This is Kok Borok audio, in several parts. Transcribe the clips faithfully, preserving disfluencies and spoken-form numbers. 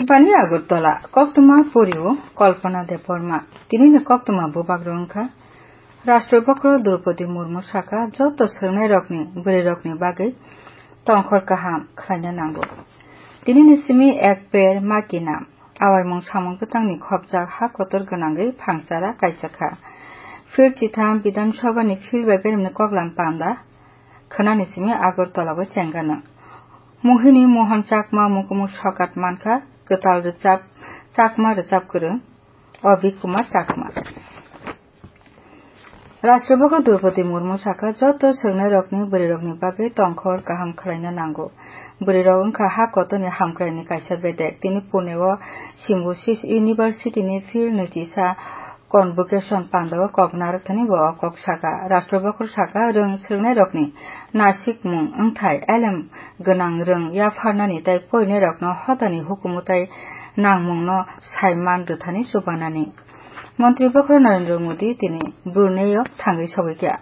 Bani Agartala, koktwma porio Kalpana Debbarma. Tinini koktwma bubak rwngkha. Rashtrapati Draupadi Murmu saka joto swrwngnairokni bwrwirokni bagwi tongkhor kaham khlaina nango. Tinini simi Ek Ped Maa Ki Naam awaimung samung bwtangni khopjak ha kotor gwnangwi phangchara kaisakha. Field chitham Bidhan Sabhani field bai beremni koklam panda khwnani simi Agartala o chengano. Mohini Mohan Chakma mukumu sokat mankha, kwtal rwchap, Chakma rwchap kwrwng, Abhi Kumar Chakma. Rashtrapati Draupadi Murmu saka joto swrwngnairokni bwrwirokni bagwi tongkhor kaham khlaina nango. Bwrwirok wngkha ha kotorni hamkraini kaisa bedek. Tini Pune o Symbiosis University ni field nwichisa convocation pandao kok narwkthani bo o kok saka. Rashtrapati saka rwng swrwngnairokni nasikmung wngthai elem gwnang rwng yapharnani tei porinairokno hotani hukumu tei nangmungno saiman rwthani chubanani. Montri Bokhorok Narendra Modi tini Brunei o thangwi sogwi kha.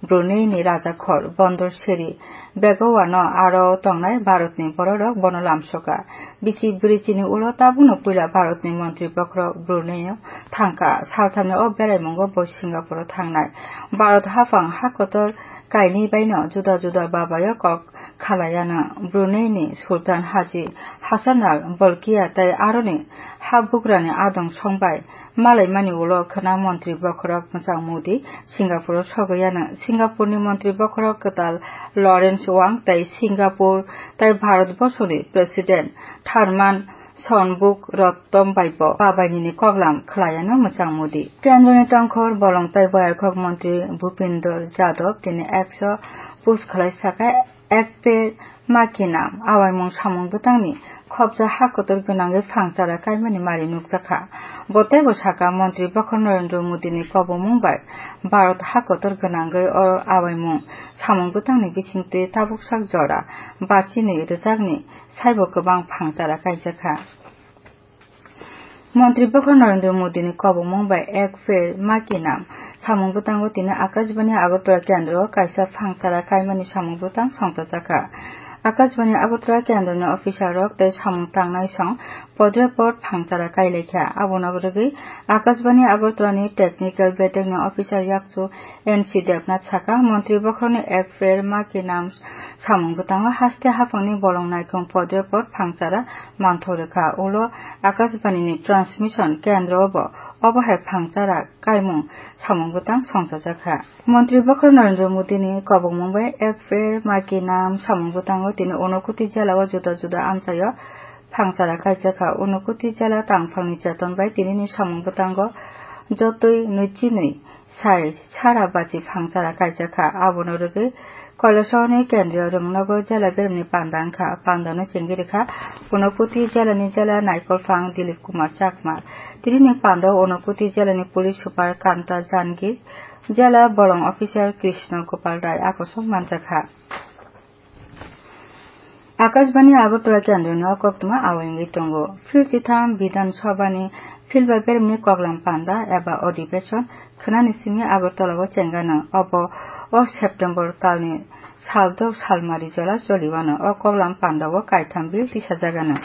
Brunei ni rajakhor Bondor Seri Begawan o aro tongnai Bharat ni bororok bono lamsoka. Bisi bwrwi chini ulo tabukno puila Bharat ni Montri Bokhorok Brunei o thangkha. Salthamni o beraimungo bo Singapore o thangnai. Bharat haphang ha kotor kainwi baino juda juda babayo kok khalaiano Brunei ni Sultan Haji Hassanal Bolkiah tei aroni habugrani adong songbai malaimani ulo khwna Montri Bokhorok Mwchang Modi Singapore o sogwi ano. Singapore ni Montri Bokhorok kwtal Lawrence Wong tei Singapore tei Bharat borsoni President Tharman Shanmugarattnam bai bo babainini koklam khlaiano Mwchang Modi. Kendroni tongkhor bolong tei boyarkhok Montri Bhupendra Yadav tini X o post khlai saka, Ek Ped Maa Ki Naam awaimung samung bwtangni khopjak ha kotor gwnangwi phangchara kaimani mari nukjakha. Bo teibo saka, Montri Bokhorok Narendra Modini kobongmung bai Bharat ha kotor gwnangwi o awaimung samung bwtangni bisingtwi tabuksak jora bachini rwchapni saibo kwbang phangchara kaijakha. Montri Bokhorok Narendra Modini kobongmung bai Ek Ped Maa Ki Naam samung bwtango tini Akashbani Agartala kendro o kaisa phangchara kaimani samung bwtang songchajakha. Akashbani Agartala kendroni officer rok tei samung tangnai song podrepot phangchara kailaikha. Abono rwgwi Akashbani Agartala ni technical bedek ni officer yakchu N C Debnath saka, Montri Bokhorok ni Ek Ped Maa Ki Naam samung bwtango haste haphangni bolong naikhung podrepot phangchara manthok rwkha. Ulo Akashbani ni transmission kendro o bo obo hai phangchara kaimung samung bwtang songchajakha. Montri Bokhorok Narendra Modi ni kobongmung bai Ek Ped Maa Ki Naam samung bwtango tini Unakoti jela o juda juda amchaio phangchara kaijakha. Unakoti jela tangphangni cheton bai tinini samung bwtango jotoi nwichi nwi sai sara bachi phangchara kaijakha. Abono rwgwi Kailasahani kendriyo rwngnogo jela beremni panda wngkha. Pandano chengwi rwkha Unakoti jelani jela naikolphang Dilip Kumar Chakma. Tinini pandao Unakoti jelani police super Kanta Jangi, jela bolong officer Krishna Gopal Rai akosong manjakha. Akashbani Agartala kendroni o koktwma awai wngwi tongo. Field chitham Bidhan Sabhani field bai beremni koklam panda eba adhibeshon khwnani simi Agartala o chengano. Obo o September talni sal dok salmari jora choliwano. O koklam pandao kaitham bill tisajagano.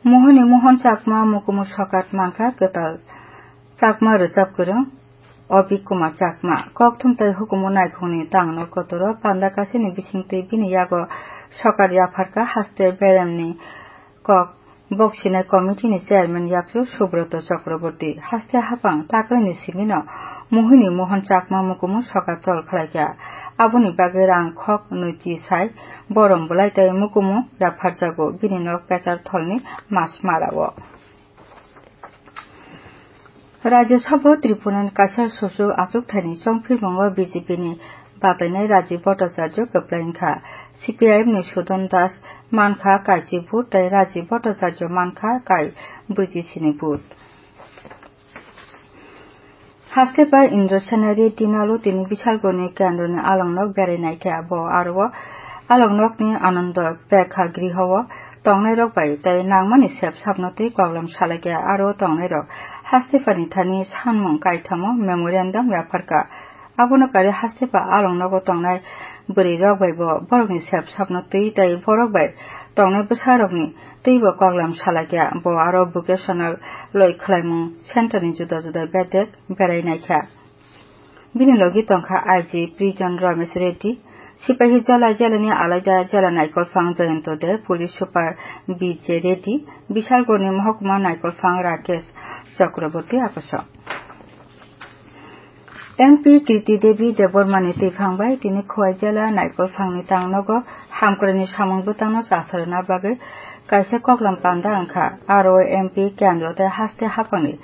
Mohoni Mohon Chakma mukumu sokat mankha kwtal Chakma rwchap kwrwng Abhi Kumar Chakma. Kokthum tei hukumu naikhungni tangno kotoro panda kasini bisingtwi bini yago sokat yapharkha haste beremni kok boksinai committee ni chairman yakchu Subroto Chakraborty. Haste haphang takrani simino Mohini Mohon Chakma mukumu sokat chol khlaikha. Aboni bagwi rang khok nwichi sai borom bwlai tei mukumu yapharjago bini nok Pechar tholni Masmara o. Rajya Sabha Tripura ni kaisa suchuk achukthani chongphirmungo B J P ni batainai Rajiv Bhattacharya kwplai wngkha. C P I M ni Sudan Das mankha kaichi vote tei Rajiv Bhattacharya mankha kai brwichi sini vote. Haste pai Indra Sena Reddy Nalu tini Bisalgoni kendroni alongnok berai naikha. Bo aro o alongnokni Ananda Prekha Griho o tongnairok bai tei nangmani sep sapno tei koklam salaikha. Aro o tongnairok haste pani thani sanmung kaithamo memorandum yapharkha. Abono kari haste pa along nogo tongnai bwrwi rok bai bo borokni sep sapno twi tei borok bai tongnai bwsa rokni twi bo koklam salaikya. Bo aro vocational loi khwlaimung center ni juda juda bedek berai naikha. Bini logi tongkha I G prison Ramesh Reddy, Sipahi Jala jelani alaida jela naikolphang Jayanta Deb, police super B J Reddy, Bishalgarhni mohokuma naikolphang Rakesh Chakraborty akosok. M P Kirti Devi Debbarmani twiphang bai tini Khowai jela naikolphangni tangnogo hamkraini samung bwtangno chasarwna bagwi kaisa koklam panda wngkha. Aro M P kendro tei haste haphangni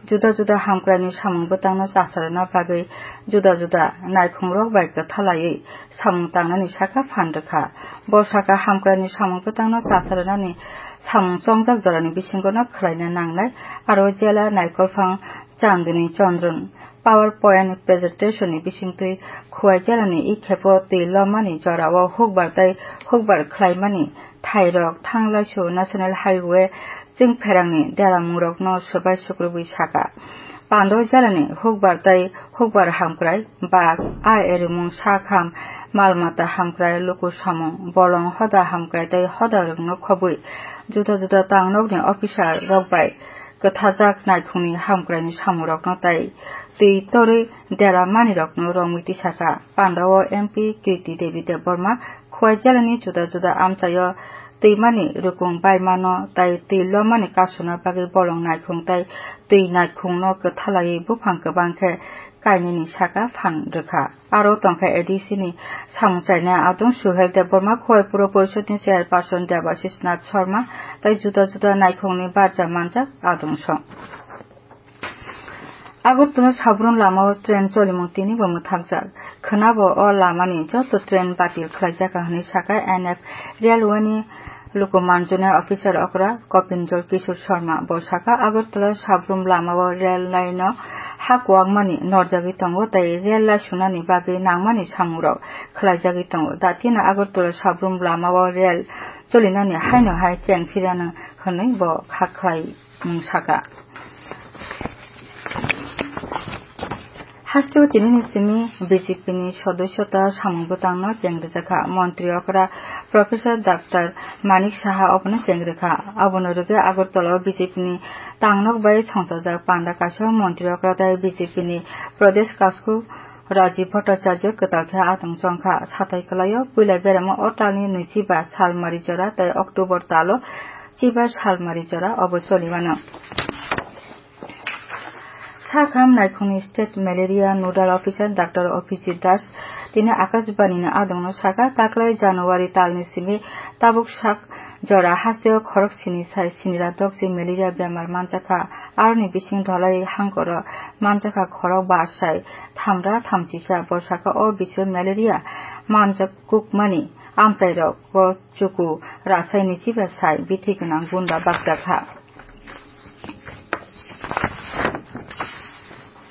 juda juda hamkraini samung bwtangno chasarwna bagwi juda juda naikhungrok bai kwthalaiwi samung tangnani saka phan rwkha. Bo saka hamkraini samung bwtangno chasarwnani samung chongjak jorani bisingono khwlaina nangnai. Aro jela naikolphang Chandni Chandran PowerPoint presentation ni bisingtwi Khowai jelani i khepo twi lomani jorao hukbar tei hukbar khlaimani thairok thanglaisu National Highway chwngpherangni deramungrokno swbai sukrubwi saka. Pandoi jelani hukbar tei hukbar hamkrai, bak, a erimung, sakham, mal mata hamkrai, luku samung, bolong hoda hamkrai tei hoda rwngno khobwi juda juda tangnokni officer rok bai kwthajak naikhungni hamkraini samungrokno tei twi torwi dera manirokno romwi tisaka. Pandao M P Kirti Devi Debbarma Khowai jelani juda juda amchaio twimani rukung baimano tei twi lomani kasuna bagwi bolong naikhung tei twi naikhungno kwthalaiwi buphang kwbang khe kainwini saka phan rwkha. Aro tongkha A D C ni samung chainai adong Suhel Debbarma, Khowai Puro Porishod ni chairperson Debashish Nath Sharma tei juda juda naikhungni barja manjak adong song. Agartala Sabrum lamao train cholimung tini bo mwthakjak. Khwnabo o lamani joto train batil khlaijak hwnwi saka N F Railway ni luku manjunai officer okra Kopinjol Kishore Sharma. Bo saka Agartala Sabrum lamao rail line o ha kuwakmani norjagwi tongo tei rail lai sunani bagwi nangmani samungrok khlaijagwi tongo. Datina Agartala Sabrum lamao rail cholinani haino hai cheng phirano hwnwi bo kha khlai mung saka. Hasteo tinini simi B J P ni sodosyota samung bwtangno cheng rwjakha. Montri okra Professor Doctor Manik Saha obono cheng rwkha. Abono rwgwi Agartala o B J P ni tangnok bai songchajak panda kaisa montri okra tei B J P ni Pradesh Kasku Rajiv Bhattacharya kwtal khe atong chongkha. Satai kwlaio puila beramo o talni nwichiba salmari jora tei October talo chiba salmari jora obo choli mano. Sakham naikhungni State Malaria Nodal Officer Doctor Abhijit Das tini Akashbani ni adongno saka, taklai January talni simi tabuk sak jora hasteo khorok sini sai sinira dokchi malaria bemar manjakha, aroni bising dholai hangkoro manjakha khorok ba sai thamra thamchisa. Bo saka o bisingo malaria manjak kukmani amchairok o chuku rasai nwichiba sai bithi gwnang gunda bakjakha.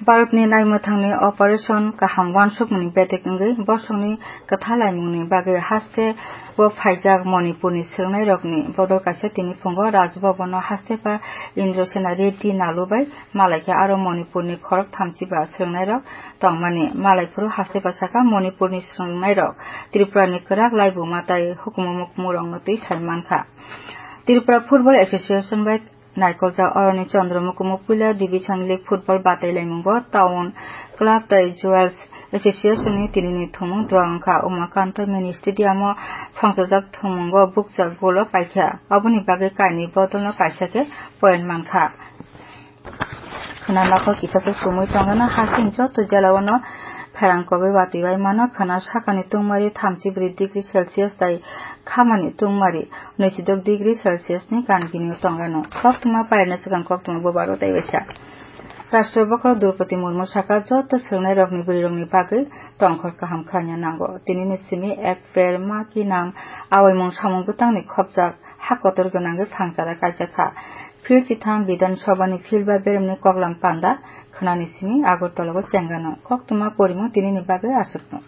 Bharatni naimwthangni operation kaham uansukmani bedek wngwi bosongni kwthalaimungni bagwi haste o phaijak Manipurni swrwngnairokni bodol kaisa tini phungo Raj Bhavan o haste pa Indrasena Reddy Nalu bai malaikha, aro Manipurni khorok thamchi ba swrwngnairok tongmani. Malaiphuru haste pa saka Manipurni swrwngnairok Tripurani kwrak laibuma tei hukumu mukumurokno twi sai mankha. Tripura Football Association bai naikoljak oroni Chandra Mukumu puila Division League football batailaimungo Town Club tei Jewels Association ni tinini thumung draw wngkha. Umakanto Mini Stadium o songchajak thumung o bukchak goal o paikha. Aboni bagwi kainwi bodol no kaisa khe point mankha. Khwna nokhor kisa se sumui tongkha, hasing joto jela o no pherang kogwi watwi bai mano. Khwna sakani tungmari thamchi bwrwi degree Celsius tei khamani tungmari nwichidok degree Celsius ni gan gini o tongkha no. Koktwma pairina swkang koktwma bubaro tei waisa. Rashtra bokhorok Droupadi Murmu saka joto swrwngnairokni bwrwirokni bagwi tongkhor kaham khlaina nango. Tinini simi Ek Ped Maa Ki Naam awaimung samung bwtangni khopjak ha kotor gwnangwi phangchara kaijakha. Phil chitham Bidhan Sabhani phil ba beremni koklam panda khwnani simi Agartala o chengano. Koktwma porimung tinini bagwi aswkno.